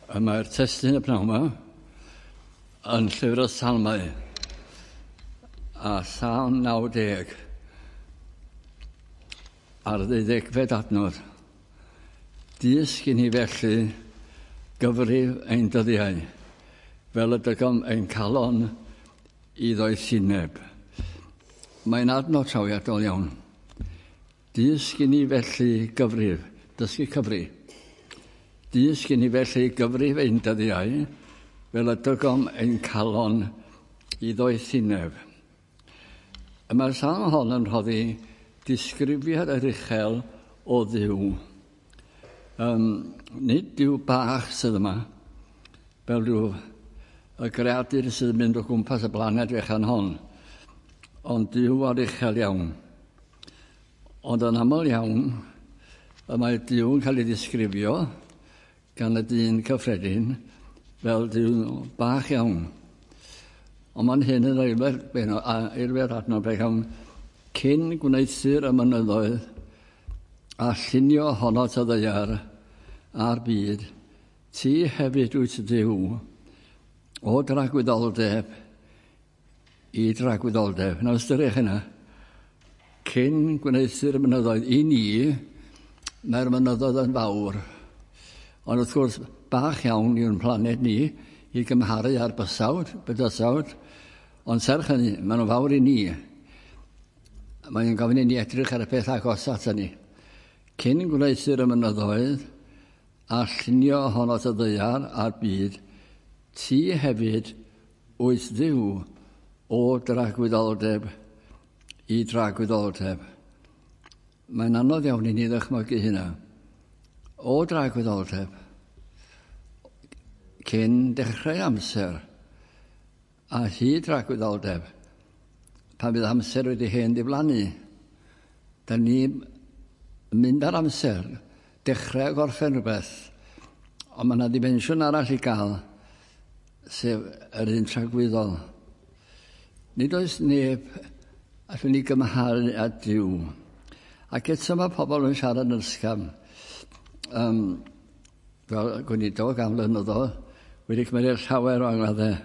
Y mae'r testun y pnawn yma yn llyfr y Salmau a Salm 90 ar ddeuddegfed adnod. Dysg i ni felly gyfrif ein dyddiau, fel y dygom ein calon i ddoethineb. Mae'n adnod trawiadol iawn. Dysg i ni felly gyfrif, dysgu cyfri. Dysg i ni felly gyfrif ein dyddiau, fel y dygom ein calon i ddoethineb. Y mae'r salm hon yn rhoddi disgrifiad yr uchel o Dduw. Nid Duw bach sydd yma, fel rhyw y greadur sydd yn mynd o gwmpas y blaned fechan hon, ond Duw ar uchel iawn. Ond yn aml iawn, y mae Duw yn cael ei ddisgrifio gan y dyn cyffredin fel Duw bach iawn. Ond mae'n hyn yn eilfed adnod fe cawn, cyn gwneuthur y mynyddoedd a llunio honot y ddaear a'r byd, ti hefyd wyt Dduw, o dragwyddoldeb i dragwyddoldeb. Nawr ystyriwch hynna. Cyn gwneuthur y mynyddoedd i ni, mae'r mynyddoedd yn fawr. Ond wrth gwrs, bach iawn yw'n planed ni i gymharu â'r bysawd, bydysawd, ond serch hynny, maen nhw'n fawr i ni. Mae'n gofyn i ni edrych ar y peth agos at ni. Cyn gwneuthur y mynyddoedd a llunio honot y ddaear a'r byd, ti hefyd wyt Dduw o dragwyddoldeb i dragwyddoldeb. Mae'n anodd iawn i ni ddychmygu hynna. O dragwyddoldeb, cyn dechrau amser, a hyd dragwyddoldeb, pan fydd amser wedi hen ddiflannu, da ni mynd ar amser, dechrau a gorffen rhywbeth, ond mae yna ddimensiwn arall i gael, sef yr un tragwyddol. Nid oes neb allwn ni gymharu â Duw. Ac eto mae pobl yn siarad yn ysgafn. Fel gweinidog am flynyddoedd, wedi cymryd llawer o angladdau.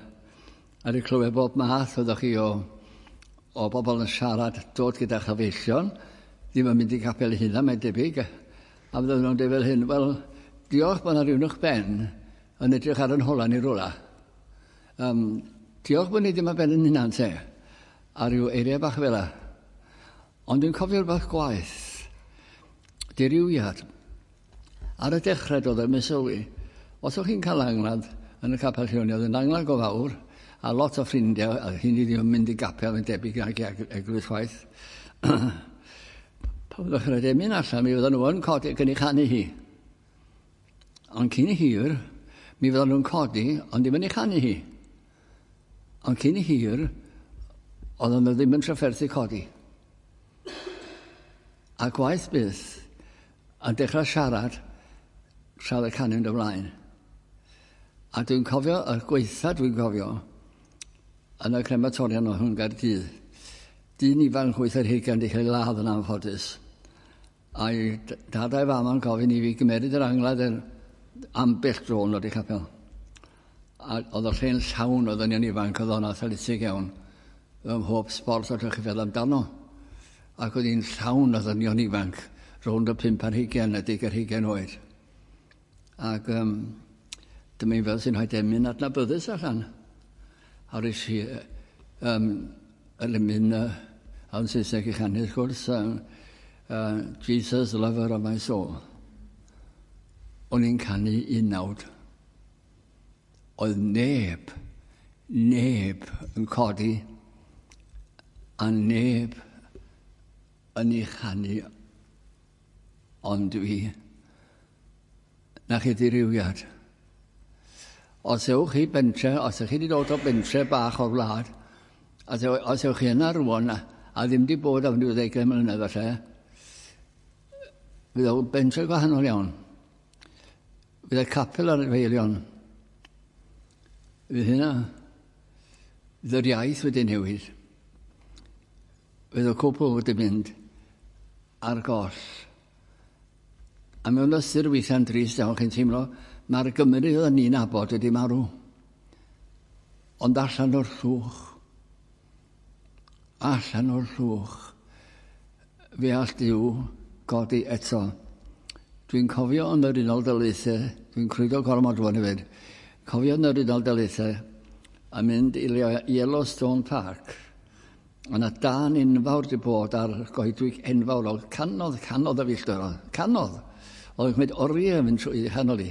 A wedi clywed bob math oeddech chi o bobl yn siarad, dod gyda chyfeillion, ddim yn mynd i capel eu hunan, mae'n debyg. A fydden nhw'n dweud fel hyn, wel, diolch bod yna rhywun uwch ben yn edrych ar yn hola ni rwla. Diolch bod ni ddim ar ben yn hunan te, a rhyw eiriau bach fel 'a. Ond dwi'n cofio rhywbeth gwaeth, dirywiad. Ar y dechrau doedd e'm yn sylwi. Os o'ch chi'n cael angladd yn y capel lle o'n i, oedd yn angladd go fawr, a lot o ffrindiau, a hynny ddim yn mynd i gapel yn debyg nag i eglwys chwaith. Pan fyddwch chi'n rhaid emyn allan, mi fydden nhw yn codi ac yn ei chanu hi. Ond cyn hir, mi fydden nhw'n codi, ond ddim yn ei chanu hi. Ond cyn hir, oedden nhw ddim yn trafferthu codi. A gwaith byth, a dechrau siarad tra oedd y canu'n mynd ymlaen. A dwi'n cofio, y gwaetha dwi'n cofio, yn y crematorium o hwn Gaerdydd, dyn ifanc 28 wedi cael ei ladd yn anffodus. A'i dad a'i fam yn gofyn i fi gymeryd yr angladd er ambell dro yn dod i capel. A oedd y lle'n llawn o ddynion ifanc, oedd o'n athletig iawn, ym mhob sbort allwch chi feddwl amdano. Ac oedd hi'n llawn o ddynion ifanc, rownd y 5 ar hugain a 10 ar hugain oed. Ac dyma i fel sy'n rhaid emyn adnabyddus allan. A rhys i yr emyn yn Saesneg i chanu, wrth gwrs, Jesus, lover of my soul. O'n i'n canu unawd. Oedd neb, neb yn codi a neb yn ei chanu ond dwi. Na chi ddirywiad. Os ewch chi bentre, os ydych chi wedi dod o bentre bach o'r wlad, os, os ewch chi yna rwan a, a ddim wedi bod am ryw ddegau mlynedd falle, fydd o'n bentre gwahanol iawn. Fydd y capel ar y feilion. Fydd hynna, fydd yr iaith wedi newid. Fydd y cwpl wedi mynd ar goll. A mewn ystyr weithiau'n drist iawn, chi'n teimlo Mae'r Gymru oedden ni'n nabod wedi marw. Ond allan o'r llwch, allan o'r llwch, fe all Duw godi eto. Dwi'n cofio yn yr Unol Daleithiau, dwi'n crwydro gormod rwan hefyd, cofio yn yr Unol Daleithiau a mynd i Yellowstone Park. Yna dân enfawr wedi bod ar goedwig enfawr o canodd, canodd o filltiroedd, canodd. Oedd yn cymryd oriau yn mynd trwy chanol i.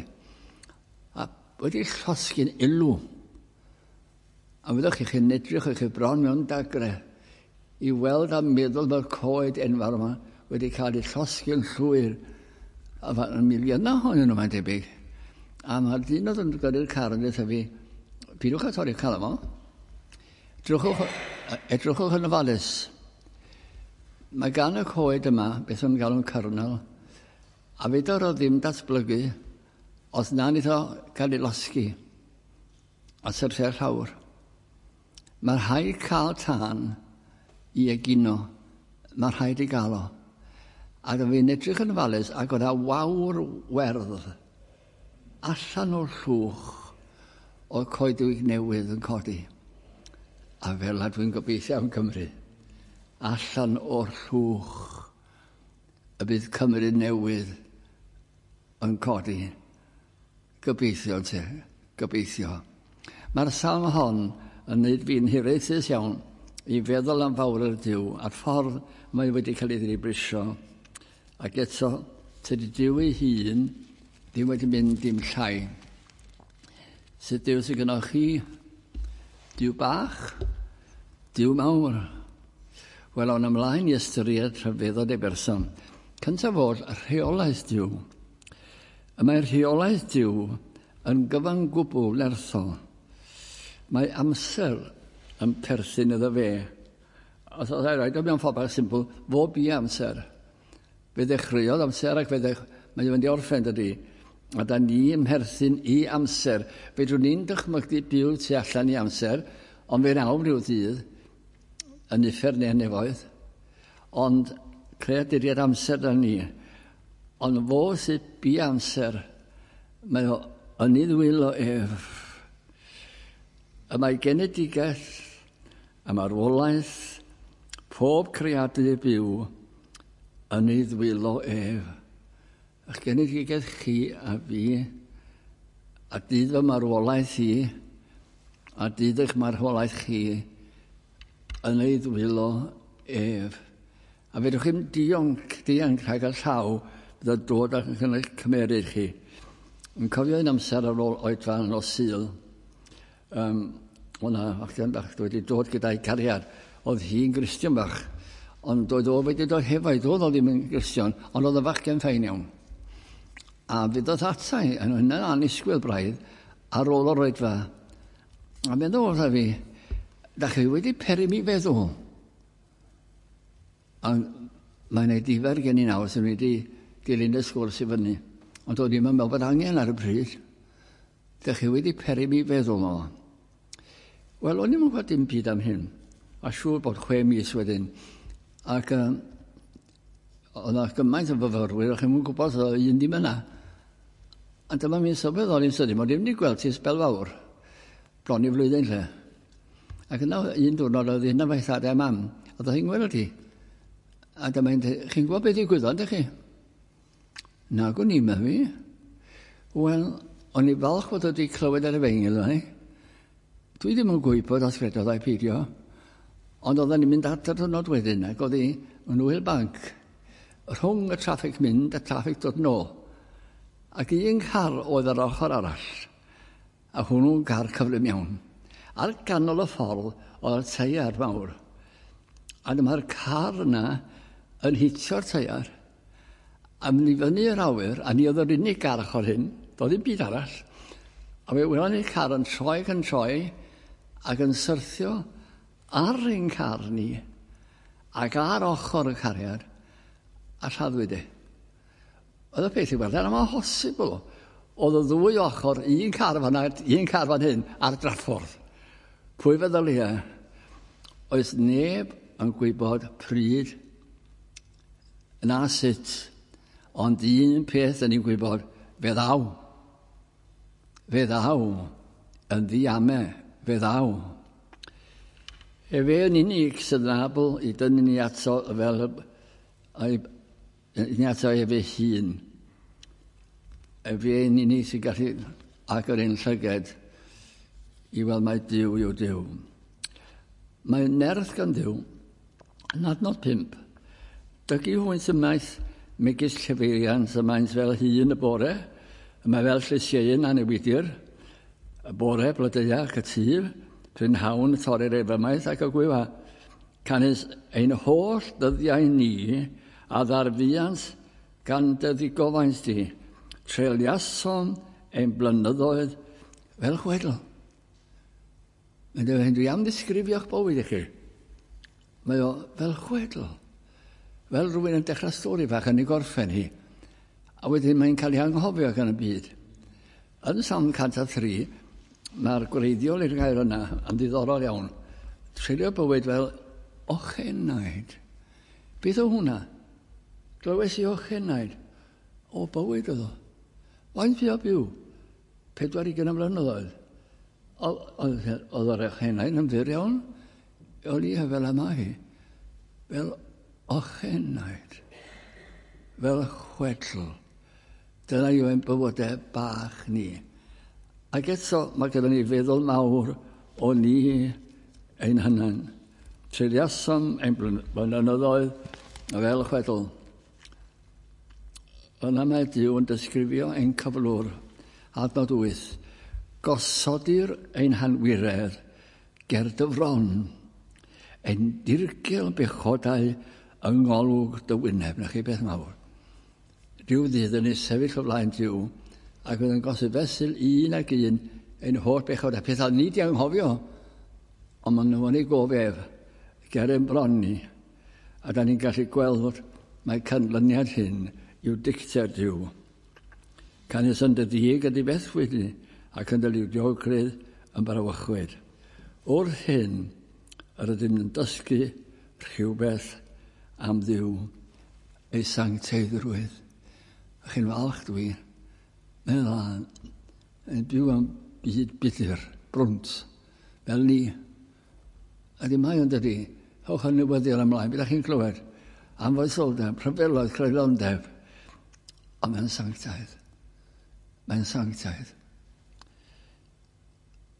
A wedi llosgi'n ilw. A fyddwch chi, chi'n edrych o'ch chi bron mewn dagre i weld a meddwl mae'r coed enfawr yma wedi cael eu llosgi'n llwyr. A mae'n miliynau ohonyn nhw, mae'n debyg. A mae'r dyn oedd yn gyrru'r car yn dweud fi, pidwch â torri'r car yma. Edrychwch, edrychwch yn ofalus. Mae gan y coed yma, beth o'n galw'n kernel, a fedar o ddim datblygu os na wneith o gael ei losgi a syrthio'r llawr. Mae rhaid cael tân i egino. Mae rhaid i gael o. A dw i'n edrych yn ofalus ac oedd 'na wawr werdd allan o'r llwch o'r coedwig newydd yn codi. A fel 'na dwi'n gobeithio am Cymru. Allan o'r llwch y bydd Cymru newydd yn codi. Gobeithio te, gobeithio. Mae'r salm hon yn wneud fi'n hiraethus iawn i feddwl am fawr yr Duw a'r ffordd mae wedi cael ei ddibrisio. Ac eto, tydi Duw ei hun ddim wedi mynd dim llai. Sut Duw sydd gynnwch chi? Duw bach? Duw mawr? Wel, awn ymlaen i ystyried rhyfeddod ei berson. Cyntaf oll, rheolaeth Duw. Y mae rheolaeth Duw yn gyfan gwbl nerthol. Mae amser yn perthyn iddo fe. Os oes rhaid o mewn ffordd bach simple, fo bu amser. Fe ddechreuodd amser ac fe ddech, mae o'n mynd i orffen dydy. A da ni yn perthyn i amser. Fedrwn ni'n dychmygu byw tu allan i amser, ond fe'n awr rhyw ddydd yn uffern neu nefoedd. Ond creaduriaid amser da ni. Ond fo sydd bu amser, mae o yn ei ddwylo ef. Y mae genedigaeth a marwolaeth pob creadur byw yn ei ddwylo ef. Ych genedigaeth chi a fi, a dydd fy marwolaeth i, a dydd eich marwolaeth chi, yn ei ddwylo ef. A fedrwch chi'm dionc, dianc rhag y llaw fydd yn dod ac yn eich cymeryd chi. Yn cofio un amser ar ôl oedfa nos Sul, um, o'na fachgen bach wedi dod gyda'i cariad. Oedd hi'n Gristion bach, ond doedd o wedi dod hefo'i, doedd o ddim yn Gristion, ond oedd y fachgen ffain iawn. A fe ddoth ata i, yn hynny'n annisgwyl braidd, ar ôl o'r oedfa. A meddwl wrtha fi, da chi wedi peri mi feddwl. Ond mae'n ei difar gen i nawr sy'n wedi dilyn y sgwrs i fyny. Ond doedd ddim yn meddwl bod angen ar y pryd. Dych chi wedi peri mi feddwl o. Wel, o'n i'm yn gwybod dim byd am hyn. A siŵr bod 6 mis wedyn. Ac oedd yna gymaint o fyfyrwyr, o'ch chi'n gwybod oedd un ddim yna. A dyma mi'n sylweddoli'n sydyn, mod i'n mynd i gweld ti sbel fawr. Bron i flwyddyn lle. Ac yna un diwrnod oedd hyn am thad a mam, a oedd hi'n gweld hi. A dyma hi'n dweud, chi'n gwybod beth ddigwyddodd, ydych chi? Na, gwn i, fi. Wel, o'n i falch bod wedi clywed ar y efengyl yna. Dwi ddim yn gwybod os credodd ai peidio, ond oedden ni'n mynd adre diwrnod wedyn ac oedd hi yn wyl banc rhwng y traffig mynd a traffig dod nôl. Ac un car oedd ar ochr arall, a hwnnw'n car cyflym iawn. Ar ganol y ffordd oedd y teiar mawr. A dyma'r car yna yn hitio'r teiar, a mynd i fyny yr awyr, a ni oedd yr unig gar ochr hyn, doedd ddim byd arall. A fe welon ni'r car yn troi ac yn troi, ac yn syrthio ar ein car ni, ac ar ochr y cariad, a lladdwyd e. Oedd y peth i weld, yn amhosibl. Oedd y ddwy ochr, un car fan un car fan hyn, ar draffordd. Pwy feddylia? Oes neb yn gwybod pryd na sut, ond un peth yn ni'n gwybod, fe ddaw. Fe ddaw yn ddiame, fe ddaw. Efe yn unig sydd yn abl i dynnu ni ato fel i ni ato efe hun. Efe yn unig sy'n gallu agor ein llyged i weld mai Duw yw Duw. Mae nerth gan Dduw yn adnod 5. Dygu hwynt ymaith megis llefeiriant y maent fel hun y bore, y mae fel llysieuyn a newidir, y bore blodeuach y tŷ, prynhawn y torrir ef ymaith ac y gwywa. Canys ein holl ddyddiau ni a ddarfuant gan dy ddigofaint di, treuliasom ein blynyddoedd fel chwedl. Mae'n dweud, dwi am ddisgrifio'ch bywyd i chi. Mae o fel chwedl. Fel rhywun yn dechrau stori fach yn ei gorffen hi. A wedyn mae'n cael ei anghofio gan y byd. Yn Salm 103, mae'r gwreiddiol i'r gair yna yn ddiddorol iawn. Treulio bywyd fel ochenaid. Beth o hwnna? Glywes i ochenaid. O bywyd oedd o. Faint fi o byw? 40 o flynyddoedd. Oedd yr ochenaid yn fyr iawn. O'n i fel yma hi. Fel ochenaid. Fel chwedl. Dyna yw ein bywydau bach ni. Ac eto mae gyda ni feddwl mawr o ni ein hunain. Treuliasom ein blynyddoedd fel chwedl. Yna mae Duw yn disgrifio ein cyflwr, adnod 8. Gosodir ein hanwiredd ger dy fron, ein dirgel bechodau yng ngolwg dy wyneb. Na chi beth mawr. Rhyw ddydd yn ei sefyll o flaen Duw ac fydd yn gosod fesul un ac un ein holl bechodau. Pethau ni di anghofio, ond maen nhw yn ei gof ef ger ein bron ni. A da ni'n gallu gweld mae canlyniad hyn yw dicter Duw. Canys yn dy ddig y difethwyd ni ac yn dy liwdiogrwydd yn brawychwyd. Wrth hyn, yr ydym yn dysgu rhywbeth am Dduw, ei sancteiddrwydd. A chi'n falch dwi, mae'n lân, yn byw am byd budr, brwnt, fel ni. A di mae o'n dydi, hewch yn newyddion ymlaen, bydda'ch chi'n clywed, am foesoldeb, rhyfeloedd, creulondeb, ond mae'n sanctaidd. Mae'n sanctaidd.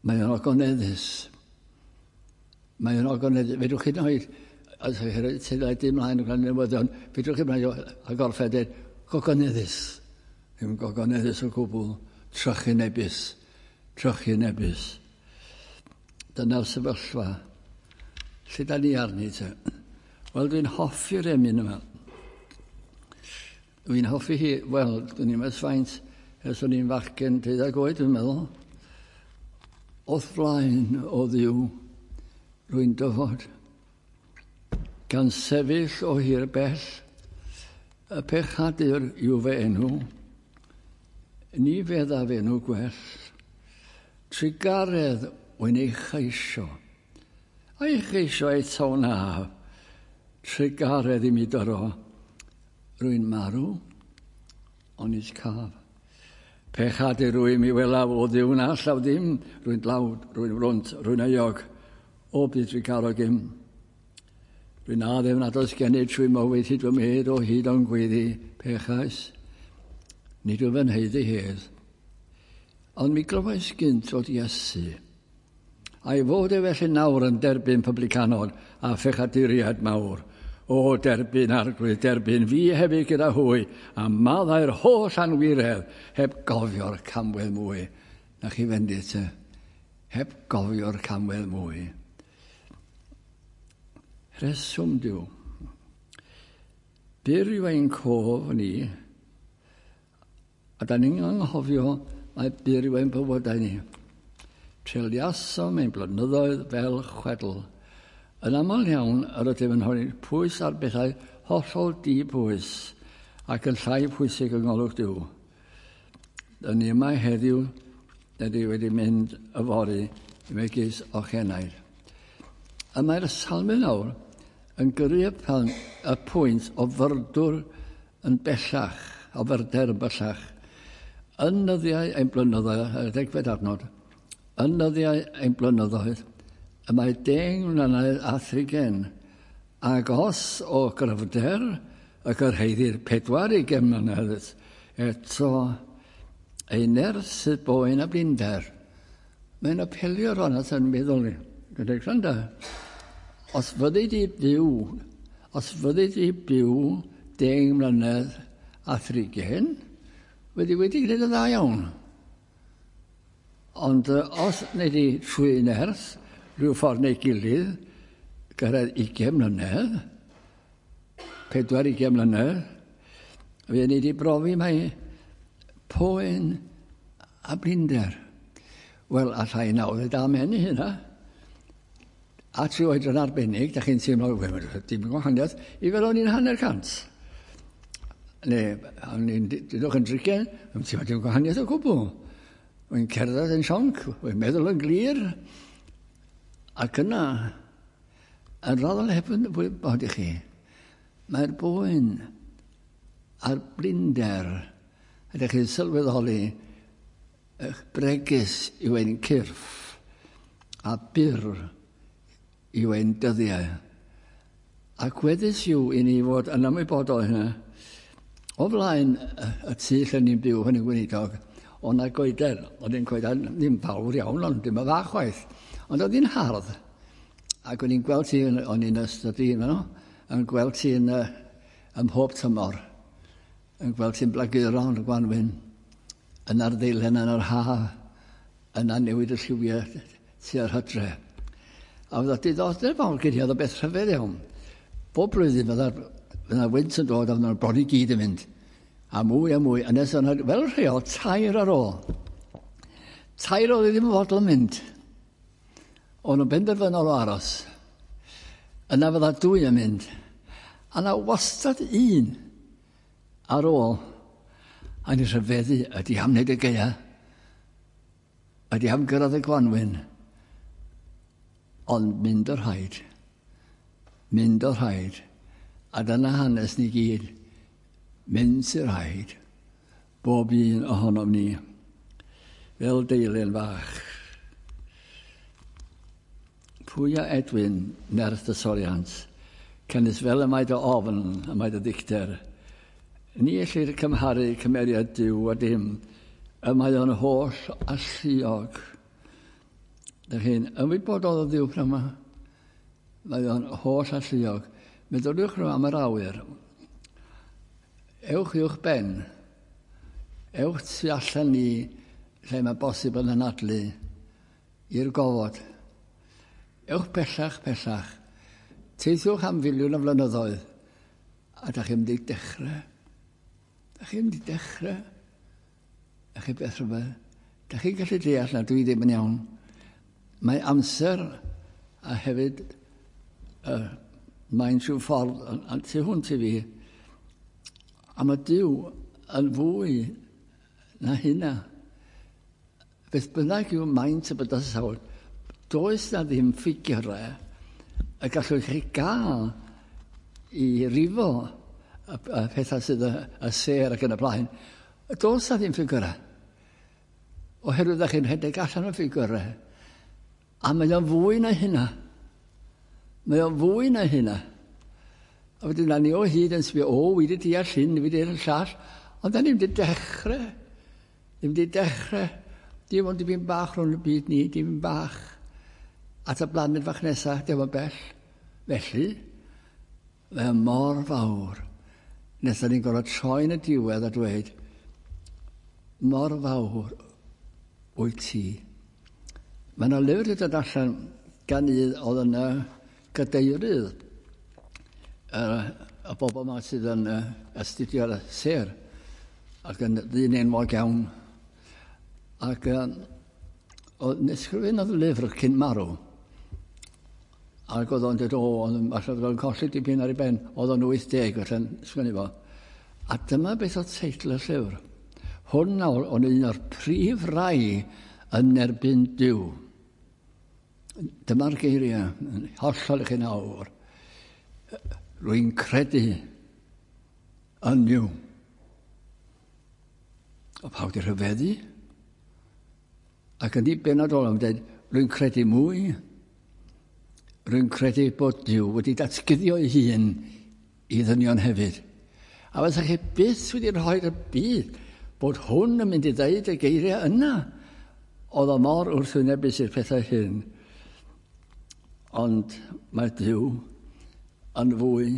Mae'n ogoneddus. Mae'n ogoneddus. Fedrwch chi noed, as chi teledu ymlaen yn newyddion, fedrwch chi ymlaen a gorffen dweud, gogoneddus. Ddim gogoneddus o gwbl, trychinebus, trychinebus. Dyna'r sefyllfa. Lle da ni arni te? Wel, dwi'n hoffi'r emyn yma. Dwi'n hoffi hi, wel, dwi'n i'n faint ers o'n i'n fachgen 12 oed, dwi'n meddwl. O'th flaen o Dduw, rwy'n dyfod, gan sefyll o hir bell, y pechadur yw fy enw, ni feddaf enw gwell, trugaredd wy'n ei cheisio, a'i cheisio eto na, trugaredd i mi dyro, rwy'n marw, ond nis caf. Pechadur rwy mi welaf o Dduw na allaf ddim, rwy'n dlawd, rwy'n frwnt, rwy'n euog, o byd trugarog im. Rwy'n addef nad oes gennyf trwy mywyd hyd fy medd o hyd o'n gweddi, pechais, nid wyf yn haeddu hedd. Ond mi glywais gynt fod Iesu, a'i fod e felly nawr yn derbyn publicanod a phechaduriaid mawr. O, derbyn Arglwydd, derbyn fi hefyd gyda hwy, a maddau'r holl anwiredd, heb gofio'r camwedd mwy. Na chi fendith te, heb gofio'r camwedd mwy. Rheswm Duw. Byr yw ein cof ni, a da ni'n anghofio mai byr yw ein bywydau ni. Treuliasom ein blynyddoedd fel chwedl. Yn aml iawn, yr ydym yn rhoi pwys ar bethau hollol di-bwys ac yn llai pwysig yng ngolwg Duw. Dyn ni yma heddiw, dyn ni wedi mynd yfory megis ochenaid. A mae'r salmyn nawr yn gyrru y pwynt o fyrdwr yn bellach, o fyrder yn bellach. Yn nyddiau ein blynyddoedd, y degfed adnod, yn nyddiau ein blynyddoedd, y mae 10 mlynedd a thrigen, ac os o gryfder y gyrhaeddir 40 mlynedd, eto ei nerth sydd boen a blinder. Mae'n apelio rhan at yn meddwl ni. Gyda gwrando, os fyddi di byw, os fyddi di byw 10 mlynedd a thrigen, wedi wedi gwneud yn dda iawn. Ond os wnei di trwy nerth, rhyw ffordd neu gilydd, gyrraedd 20 mlynedd, 40 mlynedd, fe wnei di brofi mai poen a blinder. Wel, allai nawr ddweud amen i hynna. A trwy oedran arbennig, da chi'n teimlo, wel, dim gwahaniaeth, i fel o'n i'n 50. Neu, o'n i'n, dydwch yn drigen, yn teimlo dim gwahaniaeth o gwbl. Wy'n cerdded yn sionc, wy'n meddwl yn glir. Ac yna, yn raddol heb yn wybod i chi, mae'r boen a'r blinder, ydych chi'n sylweddoli, eich bregus yw ein cyrff, a byr yw ein dyddiau. Ac weddus yw i ni fod yn ymwybodol hynna. O flaen y tŷ lle ni'n byw hynny'n gweinidog, o na goeden, oedd hi'n coeden ddim fawr iawn, ond dim yn fach chwaith. Ond oedd hi'n hardd. Ac o'n i'n gweld ti, o'n i'n ystod i yno, yn gweld ti yn, ym mhob tymor, yn gweld ti'n blaguro yn y gwanwyn, yn arddeilen yn yr ha, yna newid y lliwiau tua'r hydre. A oedd o diddordeb fawr gen i, oedd o beth rhyfedd iawn. Bob blwyddyn fydda'r wynt yn dod a fydda'r bron i gyd yn mynd. A mwy a mwy, a nes o'na, fel rheol, tair ar ôl. Tair oedd ddim yn fodlon mynd. O'n nhw'n benderfynol o aros. Yna fydda dwy yn mynd. A na wastad un ar ôl. A ni rhyfeddu, ydy am wneud y gaea? Ydy am gyrraedd y gwanwyn? Ond mynd o'r rhaid. Mynd o'r rhaid. A dyna hanes ni gyd. Mynd sy'n rhaid. Bob un ohonom ni. Fel deilyn fach. Pwy a Edwin nerth y soriant, canys fel y mae dy ofn, y mae dy ddicter. Ni ellir cymharu cymeriad Duw a dim, y mae o'n holl alluog. Dych chi'n ymwybodol o Dduw pryd yma? Mae o'n holl alluog. Meddyliwch rhywun am yr awyr. Ewch uwch ben. Ewch tu allan ni lle mae bosib yn anadlu i'r gofod. Ewch pellach, pellach. Teithiwch am filiwn o flynyddoedd. A da chi'n mynd i dechrau. Da chi'n mynd i dechrau. Da chi beth rhywbeth. Da chi'n gallu deall na dwi ddim yn iawn. Mae amser a hefyd mae'n rhyw ffordd yn tu hwnt i fi. A mae Duw yn fwy na hynna. Beth bynnag yw maint y bydysawd, does na ddim ffigurau y gallwch chi gael i rifo y pethau sydd y sêr ac yn y blaen. Does na ddim ffigurau. Oherwydd ydych chi'n rhedeg allan o ffigurau. A mae o'n fwy na hynna. Mae o'n fwy na hynna. A wedyn na ni o hyd yn sbio, o, wi wedi deall hyn, wi wedi deall llall. Ond da ni'n wedi dechrau. Ddim wedi dechrau. Dim ond dipyn bach rhwng y byd ni, dim bach. At y blaned fach nesaf, dim ond bell. Felly, mae o mor fawr. Nes da ni'n gorfod troi yn y diwedd a dweud, mor fawr wyt ti. Mae yna lyfr wedi dod allan gan un oedd yn gadeirydd y bobl yma sydd yn astudio'r sêr ac yn ddyn enwog iawn. Ac oedd ysgrifennodd lyfr cyn marw. Ac oedd o'n dweud, o, oedd o'n falle oedd o'n colli dipyn ar ei ben. Oedd o'n 80 felly'n sgwennu fo. A dyma beth oedd teitl y llyfr. Hwn nawr o'n un o'r prif rai yn erbyn Duw. Dyma'r geiriau, yn hollol i chi nawr. Rwy'n credu yn Nuw. O pawb di rhyfeddu. Ac yn ei benod olaf, dweud, rwy'n credu mwy. Rwy'n credu bod Duw wedi datguddio ei hun i ddynion hefyd. A fysa chi byth wedi rhoi'r byd bod hwn yn mynd i ddeud y geiriau yna. Oedd o mor wrthwynebus i'r pethau hyn. Ond mae Duw yn fwy,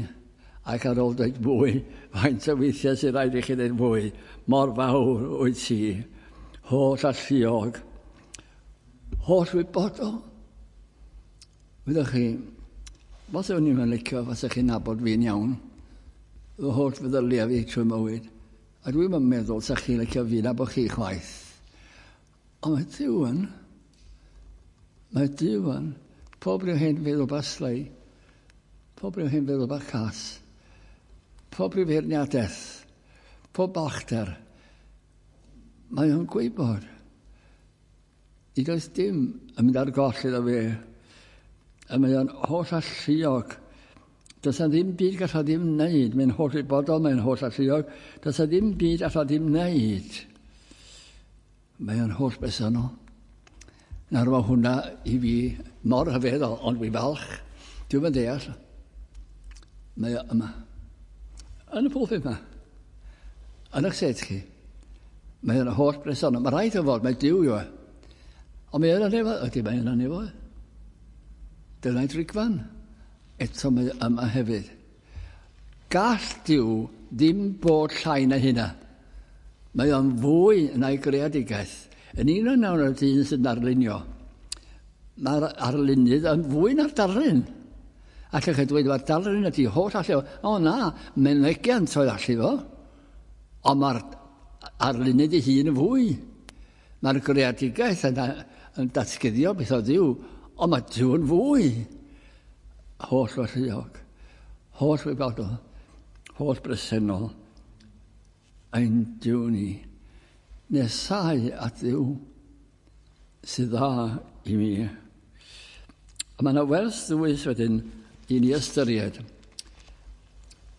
ac ar ôl dweud fwy, faint o weithiau sydd rhaid i chi dweud fwy, mor fawr wyt ti, holl alluog, holl wybodol. Wyddoch chi, falle o'n i'n licio, falle chi'n nabod fi'n iawn, fy holl feddyliau fi trwy mywyd, a dwi'n meddwl sa chi'n licio fi nabod chi chwaith. Ond mae Duw yn, mae Duw yn, pob rhyw hen feddwl bach slei, pob rhyw hen feddwl bach cas, pob rhyw feirniadaeth, pob balchder, mae o'n gwybod. Nid oes dim yn mynd ar goll iddo fe. A mae o'n holl alluog. Does na ddim byd gall o ddim wneud. Mae'n holl wybodol, mae'n holl alluog. Does na ddim byd all o ddim wneud. Mae o'n holl bersonol. Nawr mae hwnna i fi mor rhyfeddol, ond dwi'n falch. Dwi'm yn deall. Mae o yma. Yn y pulpit yma. Yn eich set chi. Mae o'n holl bresennol. Mae rhaid o fod, mae Duw yw e. Ond mae yna nefo, ydy mae yna nefo. Dyna'i drigfan. Eto mae yma hefyd. Gall Duw ddim bod llai na hynna. Mae o'n fwy na'i greadigaeth. Yn un o'n nawn o'r dyn sy'n darlunio. Mae'r arlunydd yn fwy na'r darlun. Allwch chi dweud, mae'r darlun ydy holl allu. O na, mynegiant oedd allu fo. Ond mae'r arlunydd ei hun yn fwy. Mae'r greadigaeth yn, yn datguddio beth o Dduw, ond mae Duw yn fwy. Holl alluog, holl wybodol, holl bresennol, ein Duw ni. Nesau at Dduw sydd dda i mi. A mae yna wers ddwys wedyn i ni ystyried.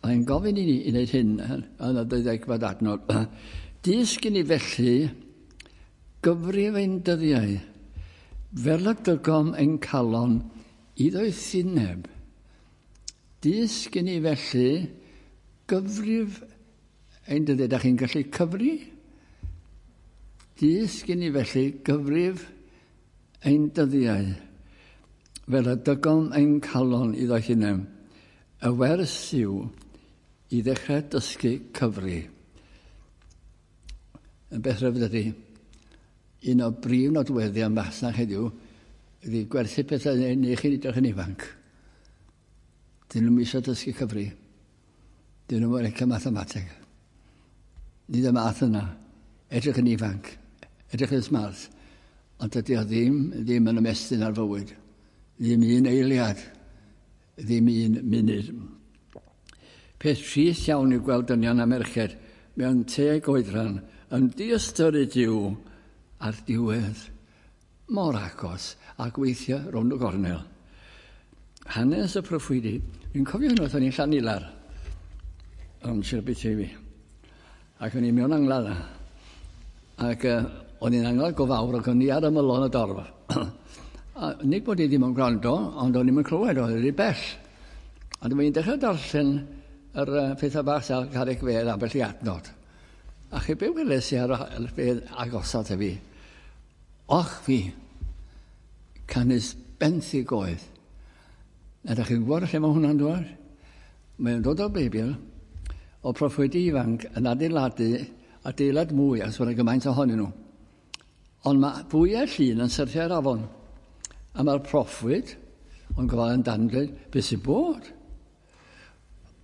Mae'n gofyn i ni i wneud hyn yn y deuddegfed adnod. Dysg i ni felly gyfrif ein dyddiau, fel y dygom ein calon i ddoethineb. Dysg i ni felly gyfrif ein dyddiau. Da chi'n gallu cyfri? Dysg i ni felly gyfrif ein dyddiau, fel y dygom ein calon i ddoethineb. Y wers yw i ddechrau dysgu cyfri. Yn beth rhyfedd ydy, un o brif nodweddion masnach heddiw ydy gwerthu pethau neu chi'n edrych yn ifanc. Dyn nhw'n eisiau dysgu cyfri. Dyn nhw'n licio mathemateg. Nid y math yna. Edrych yn ifanc. Edrych yn smart. Ond dydy o ddim, ddim yn ymestyn ar fywyd. Ddim un eiliad. Ddim un munud. Peth trist iawn yw gweld dynion a merched mewn teg oedran yn diystyru Duw a'r diwedd mor agos a gweithio rownd y gornel. Hanes y proffwydi. Dwi'n cofio unwaith o'n i'n Llanilar yn Sir Aberteifi. Ac o'n i mewn angladd. Ac o'n i'n angladd go fawr ac o'n i ar ymylon y dorf. A nid bod i ddim yn gwrando, ond o'n i'm yn clywed, oedd wedi bell. A dyma i'n dechrau darllen yr pethau bach ar carreg fedd ambell i adnod. A chi be weles i ar y bedd agosat i fi? Och fi, canys benthyg oedd. A da chi'n gwybod lle mae hwnna'n dod? Mae'n dod o'r Beibl, o proffwydi ifanc yn adeiladu adeilad mwy, achos bod yna gymaint ohonyn nhw. Ond mae fwyau llun yn syrthio ar afon. A mae'r proffwyd, ond gofal yn dan dweud, beth sy'n bod?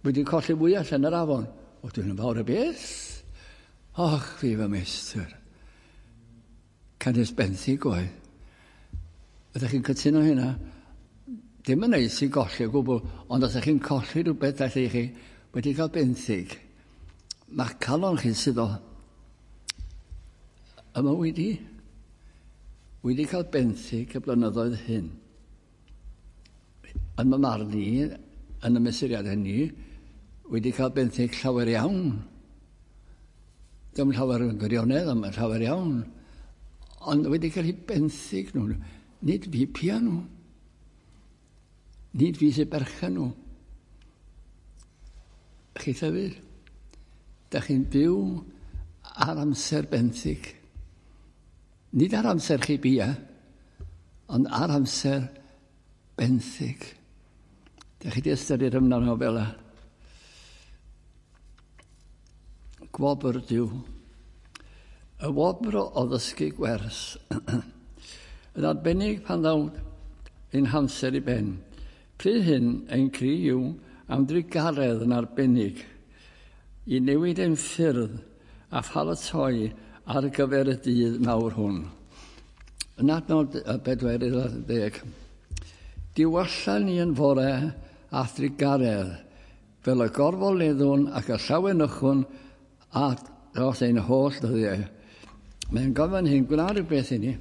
Wedi colli fwy allan yr afon. O, dwi'n yn fawr y beth. Och, fi fy meistr. Canys benthyg oedd. Ydych chi'n cytuno hynna? Dim yn neis i golli o gwbl, ond os ydych chi'n colli rhywbeth felly chi wedi cael benthyg, mae'ch calon chi'n suddo. Yma wedi cael benthyg y blynyddoedd hyn. Yn fy marn i, yn y mesuriad hynny, wedi cael benthyg llawer iawn. Dim llawer yn gwirionedd, ond mae'n llawer iawn. Ond wedi cael eu benthyg nhw. Nid fi pia nhw. Nid fi sy'n berchen nhw. Chi hefyd, da chi'n byw ar amser benthyg. Nid ar amser chi bia, ond ar amser benthyg. Da chi wedi ystyried ymwneud fel yna. Gwobr Duw. Y wobr o ddysgu gwers. Yn arbennig pan ddaw ein hamser i ben. Pryd hyn, ein cri yw am drugaredd yn arbennig i newid ein ffyrdd a pharatoi ar gyfer y dydd mawr hwn. Yn adnod y 40, diwalla ni yn fore a thrugaredd, fel y gorfoleddwn ac y llawenychwn a dros ein holl ddyddiau. Mae'n gofyn hyn, gwna rhywbeth i ni,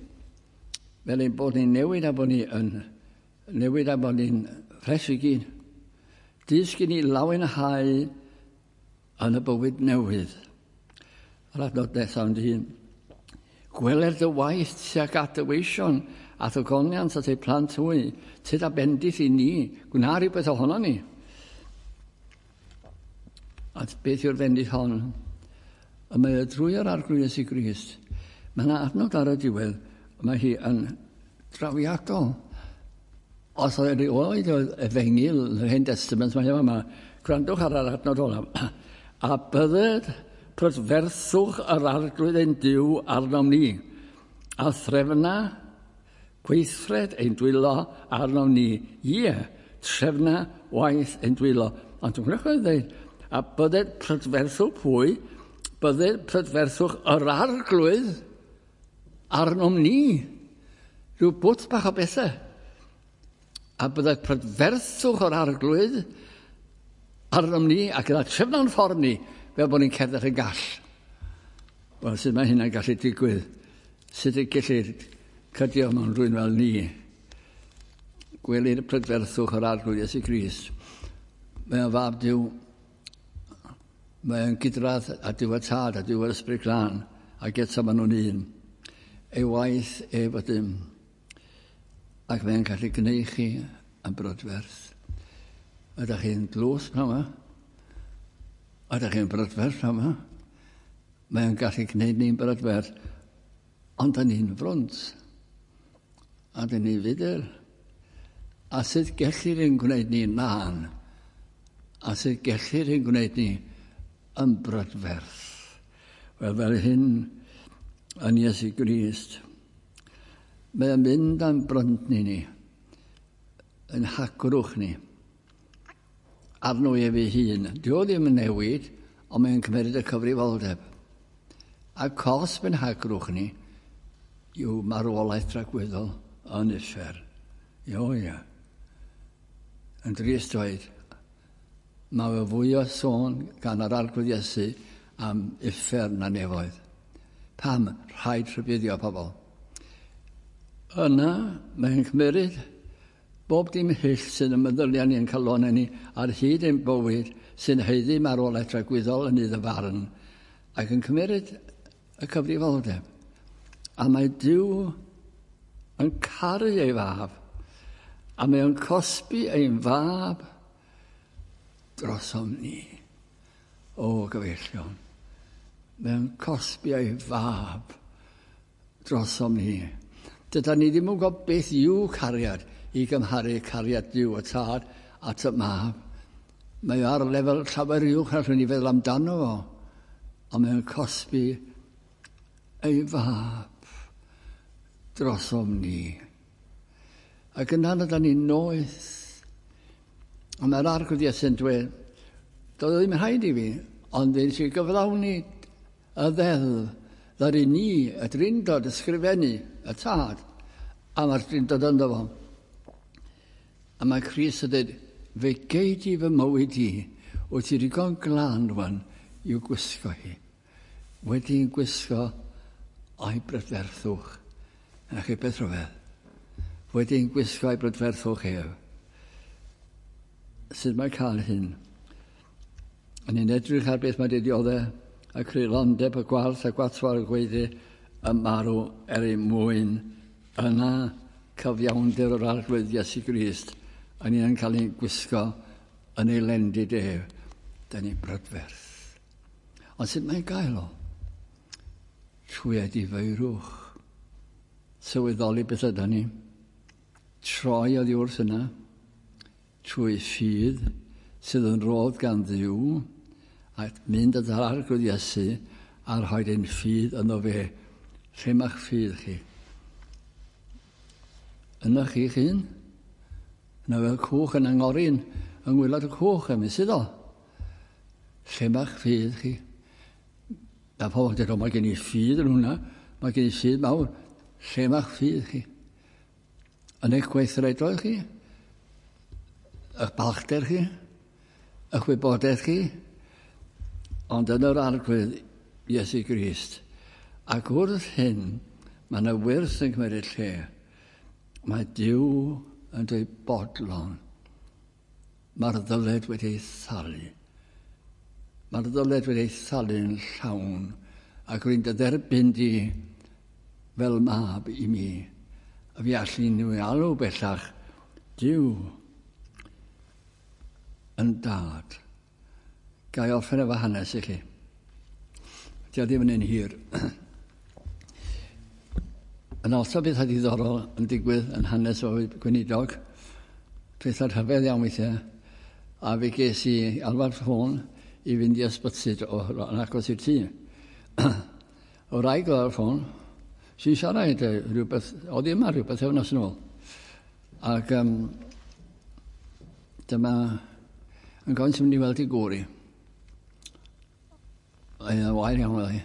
fel ein bod ni'n newid a bod ni yn newid a bod ni'n ffres i gyd. Dysg i ni lawenhau yn y bywyd newydd. Yr adnod nesaf yn dyn. Gweler dy waith tuag at dy weision a dy goniant at eu plant hwy, tyd a bendith i ni, gwna rhywbeth ohono ni. A beth yw'r bendith hon? Y mae y drwy yr Arglwydd Iesu Grist. Mae yna adnod ar y diwedd, mae hi yn drawiadol. Os oedd erioed oedd efengyl yr Hen Testament, mae yma, gwrandwch ar yr adnod olaf. A bydded prydferthwch yr Arglwydd ein Duw arnom ni, a threfna gweithred ein dwylo arnom ni. Ie, trefna waith ein dwylo. Ond dwi'n gwneud yn dweud, a bydded prydferthwch pwy? Bydded prydferthwch yr Arglwydd arnom ni. Rhyw bwt bach o bethau. A bydded prydferthwch yr Arglwydd arnom ni ac gyda trefna'n ffordd ni fel bod ni'n cerdded yn gall. Wel, sut mae hynna'n gallu digwydd? Sut y gellir cydio mewn rhywun fel ni? Gwelir prydferthwch yr Arglwydd Iesu Grist. Mae o'n fab Duw. Mae o'n gydradd a Duw y Tad a Duw yr Ysbryd Glân, ac eto maen nhw'n un. Ei waith ef ydym. Ac mae'n gallu gwneud chi yn brydferth. Ydych chi'n dlws pnawn yma? Ydych chi'n brydferth pnawn yma? Mae'n gallu gwneud ni'n brydferth, ond da ni'n frwnt. A da ni'n fudr. A sut gellir ein gwneud ni'n lân? A sut gellir ein gwneud ni yn brydferth? Wel, fel hyn yn Iesu Grist. Mae'n mynd am bryntni ni, yn hagrwch ni, arno ef ei hun. Dio ddim yn newid, ond mae'n cymryd y cyfrifoldeb. A cosb yn hagrwch ni yw marwolaeth dragwyddol yn uffern. Io, ia. Yn drist dweud, mae fe fwy o sôn gan yr Arglwydd Iesu am uffern na nefoedd. Pam rhaid rhybuddio pobl? Yna, mae'n cymryd bob dim hyll sydd yn meddyliau ni yn calonau ni ar hyd ein bywyd sy'n haeddu marwolaeth dragwyddol yn iddo farn, ac yn cymryd y cyfrifoldeb. A mae Duw yn caru ei fab, a mae o'n cosbi ein fab drosom ni. O, gyfeillion, mae o'n cosbi ei fab drosom ni. Dyda ni ddim yn gwybod beth yw cariad i gymharu cariad Duw y Tad at y mab. Mae o ar lefel llawer uwch na allwn ni feddwl amdano fo, ond mae o'n cosbi ei fab drosom ni. Ac yna yna ni'n noeth. Ond mae'r Arglwydd Iesu'n dweud, doedd o ddim rhaid i fi, ond fe wnes i gyflawni y ddeddf ddaru ni, y Drindod, ysgrifennu, y Tad, a mae'r Drindod ynddo fo. A mae Crist yn dweud, fe gei di fy mywyd i, wyt ti ddigon glân rwan i'w gwisgo hi. Wedi'n gwisgo o'i brydferthwch. Na chi beth rhyfedd. Wedi'n gwisgo o'i brydferthwch ef. Sut mae cael hyn? A ni'n edrych ar beth mae wedi dioddef y creulondeb, y gwarth, y gwatwar, y gweiddi, y marw er ei mwyn. Yna cyfiawnder yr Arglwydd Iesu Grist, a ni'n cael ein gwisgo yn ei lendid ef. Da ni'n brydferth. Ond sut mae'n gael o? Trwy edifeirwch. Sylweddoli beth yda ni. Troi oddi wrth yna. Trwy ffydd sydd yn rodd gan Dduw, a mynd at yr Arglwydd Iesu a rhoi ein ffydd yno fe. Lle mae'ch ffydd chi? Yna chi'ch hun? Yna fel cwch yn angorin yng ngwaelod y cwch, am sydd o? Lle mae'ch ffydd chi? A pobl yn dweud, o, mae gen i ffydd yn hwnna, mae gen i ffydd mawr. Lle mae'ch ffydd chi? Yn eich gweithredoedd chi? Eich balchder chi? Eich wybodaeth chi? Ond yn yr Arglwydd Iesu Grist. Ac wrth hyn, mae yna wyrth yn cymryd lle. Mae Duw yn dweud bodlon. Mae'r ddyled wedi ei thalu. Mae'r ddyled wedi ei thalu'n llawn. Ac rwy'n dy dderbyn di fel mab i mi. A fi allu nhw alw bellach Duw yn dad. Ga i orffen efo hanes i chi. Dio ddim yn un hir. Yn also bethau diddorol yn digwydd yn hanes o gweinidog. Pethau rhyfedd iawn weithiau. A fe ges i alwad ffôn i fynd i ysbyty yn agos i'r tŷ. O wraig oedd ar y ffôn. Sy'n siarad rhywbeth, oedd yma rhywbeth wythnos yn ôl. Ac dyma yn gofyn sy'n mynd i weld i gŵr i. Mae'n wael iawn oedd hi.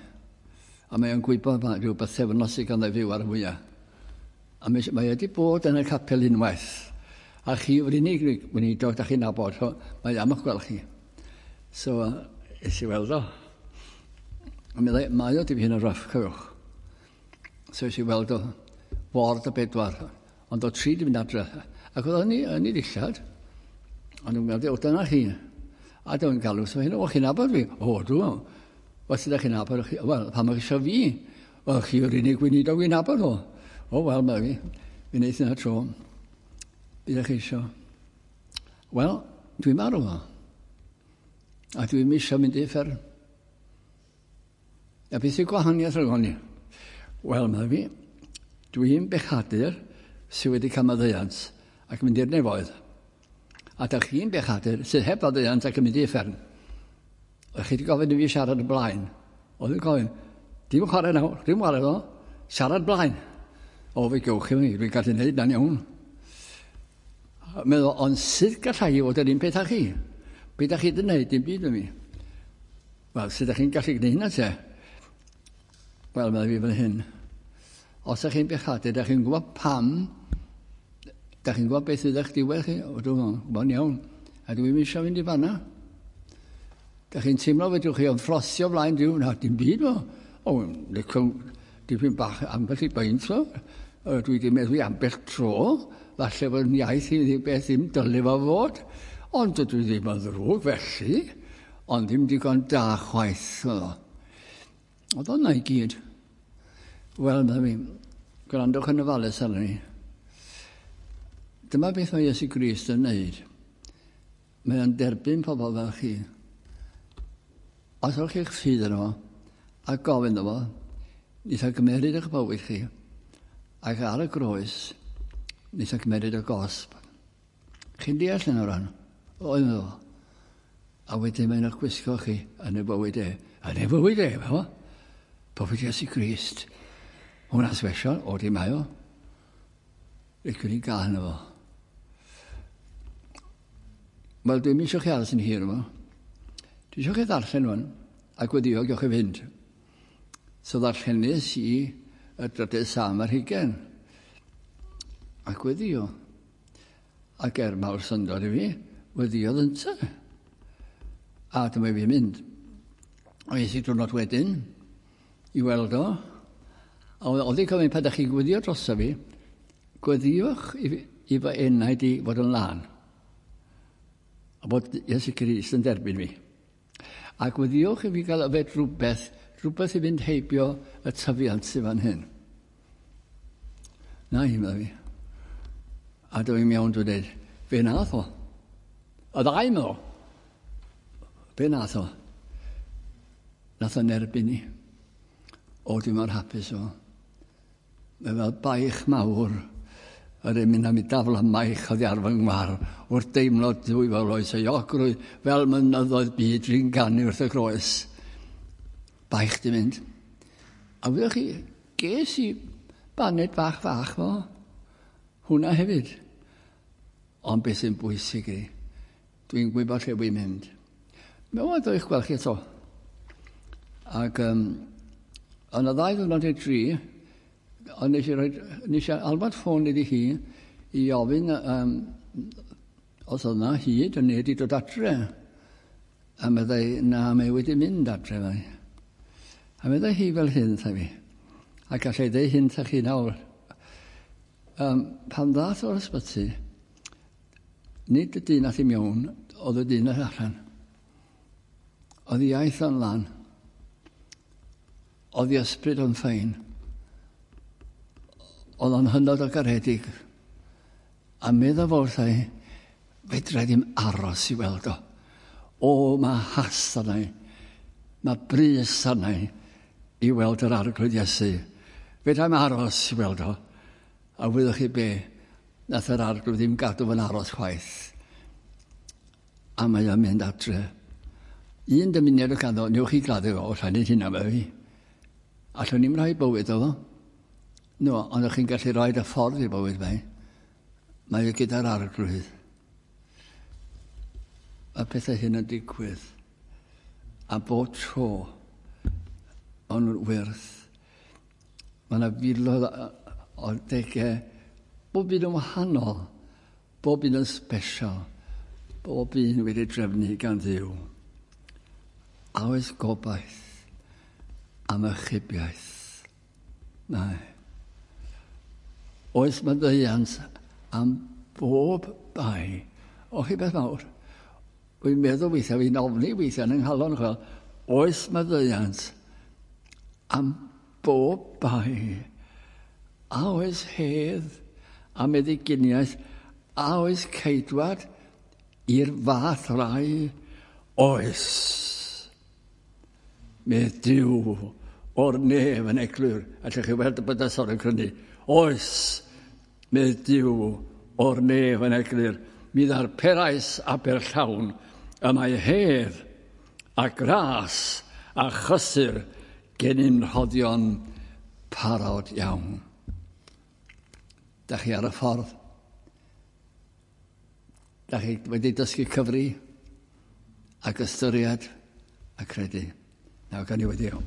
A mae'n gwybod mae rhyw bythefnos sydd ganddo fyw ar y fwyaf. A mae wedi bod yn y capel unwaith. A chi yw'r unig weinidog da chi'n nabod, so mae am eich gweld chi. So, es i weld o. A mi ddau, mae o dipyn yn rough, cofiwch. So es i weld o ward y 4, ond o 3 di mynd adre. Ac oedd yn ei ddillad, ond dwi'n meddwl, o dyna chi. A dwi'n galw, so hyn, o chi'n nabod fi? O, dwi. Wel, sut ydych chi'n nabod chi? Wel, pam ydych chi eisiau fi? Wel, chi yw'r unig weinidog fi'n nabod o. O, wel, mae fi. Fi'n neud yna tro. Bydd chi eisiau? Wel, dwi'n marw o. A dwi'n eisiau mynd i uffern. A beth yw'r gwahaniaeth rhwng ni? Wel, mae fi. Dwi'n bechadur sydd wedi cael maddeuant ac yn mynd i'r nefoedd. A dych chi'n bechadur sydd heb faddeuant ac yn mynd i uffern. Oedd chi wedi gofyn i fi siarad y blaen. Oedd yn gofyn, dim chwarae nawr, dim chwarae ddo, siarad blaen. O, fe gewch chi, dwi'n gallu gwneud na'n iawn. Meddwl, ond sut gallai i fod yr un peth â chi? Be da chi wedi gwneud, dim byd yn mi. Wel, sut ydych chi'n gallu gwneud hynna te? Wel, meddwl fi fan hyn. Os ydych chi'n bechadur, ydych chi'n gwybod pam, ydych chi'n gwybod beth ydych diwedd chi? O, dwi'n gwybod iawn. A dwi'n eisiau fynd i fanna. Dych chi'n teimlo fedrwch chi ymffrostio flaen Duw? Na, dim byd o. O, dipyn bach ambell i beint o. Dwi wedi meddwi ambell tro. Falle bod yn iaith i ddim beth ddim dylai fo fod. Ond dydw i ddim yn ddrwg felly. Ond ddim digon da chwaith. Oedd o'na i gyd. Wel, mae fi, gwrandwch yn ofalus arno ni. Dyma beth mae Iesu Grist yn wneud. Mae o'n derbyn pobl fel chi. Os ewch chi'ch ffydd yno fo, a gofyn iddo fo, neith o gymeryd eich bywyd chi, ac ar y groes, neith o gymeryd y gosb. Chi'n deall yn o ran? O, iddo fo. A wedyn mae'n eich gwisgo chi yn y bywyd e. Yn y bywyd e, fo. Bywyd Iesu Grist. Hwna'n special, o di mae o. Licwn i gael yno fo. Wel, dwi'n eisiau chi aros yn hir yma. Dwi eisiau chi ddarllen rwan, ac weddio gewch chi fynd. So ddarllenes i y drydydd Salm ar hugain. Ac weddio. Ac er mawr syndod i fi, weddiodd ynte. A dyma fi mynd. O es i diwrnod wedyn i weld o. A oedd hi'n gofyn, pan ydych chi'n gweddio drosto fi, gweddiwch i fy enaid i fod yn lân. A bod Iesu Grist yn derbyn fi. Ac weddiwch i fi gael yfed rhywbeth, rhywbeth i fynd heibio y tyfiant sydd fan hyn. Na i, meddai fi. A dwi mewn dwi'n dweud, fe nath o. Y ddau, meddwl. Be nath o? Nath o'n erbyn i. O, dwi'n mor hapus o. Mae fel baich mawr yr emyn am i dafla maich oddi ar fy ngwar wrth deimlo dwy fel oes euogrwydd fel mynyddoedd byd dwi'n ganu wrth y groes. Baich di mynd. A wyddoch chi, ges i baned bach fach fo. Hwna hefyd. Ond beth sy'n bwysig i, dwi'n gwybod lle wy'n mynd. Mewn oedd eich gweld chi eto. Ac yn y ddau ddwrnod i'r dri, ond nes i, rhoi, nes i alwad ffôn iddi hi i ofyn os oedd yna hyd yn neu wedi dod adre. A meddai, na, mae wedi mynd adre. Fe. A meddai hi fel hyn, tha fi. A gallai ddeud hyn tha chi nawr. Pan ddath o'r ysbyty, nid y dyn ath i mewn, oedd y dyn ath allan. Oedd i iaith o'n lan. Oedd i ysbryd o'n ffein. Oedd o'n hynod o garedig. A meddwl fo wrtha i, fedra i ddim aros i weld o. O, mae hast arna i. Mae brys arna i i weld yr arglwydd Iesu. Fedra i'm aros i weld o. A wyddoch chi be, nath yr arglwydd ddim gadw fy'n aros chwaith. A mae o'n mynd adre. Un dymuniad o ganddo, newch chi gladdu fo, allai wneud hynna fe fi. Allwn ni'm rhoi bywyd o fo. No, ond ych chi'n gallu rhoi y ffordd i bywyd fe. Mae o gyda'r arglwydd. Mae pethau hyn yn digwydd. A bob tro, o'n nhw'n wyrth. Mae yna filoedd o degau, bob un yn wahanol, bob un yn special, bob un wedi drefnu gan Dduw. A oes gobaith am ychubiaeth? Mae. Oes maddeuant am bob bai? O chi beth mawr. Wy'n meddwl weithiau, fi'n ofni weithiau yn nghalon, chwel, oes maddeuant am bob bai? A oes hedd a meddyginiaeth? A oes ceidwad i'r fath rai? Oes. Medd Duw o'r nef yn eglur. Allwch chi weld y bydysawd yn crynu. Oes, medd Duw o'r nef yn eglur. Mi ddarperais aber llawn y mae hedd a gras a chysur gennym rhoddion parod iawn. Da chi ar y ffordd. Da chi wedi dysgu cyfri ac ystyried a credu. Nawr gan i wedi iawn.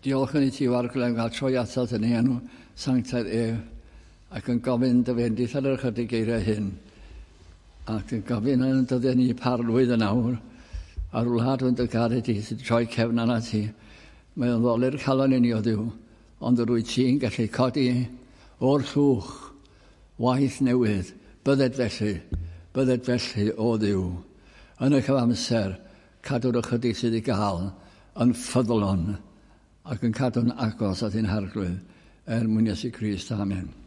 Diolch yn i ti, Arglwydd, am gael troi atat yn ei enw sanctaidd ef, ac yn gofyn dy fendith ar yr ychydig geiriau hyn. Ac yn gofyn yn dyddiau ni parlwydd yn awr, a'r wlad yn dy garu di sydd troi cefn arnat ti. Mae o'n ddolur calon i ni o Dduw, ond yr wyt ti'n gallu codi o'r llwch waith newydd. Bydded felly, bydded felly o Dduw. Yn y cyfamser, cadw'r ychydig sydd i gael yn ffyddlon ac yn cadw'n agos at ein harglwydd er mwyn Iesu Grist. Amen.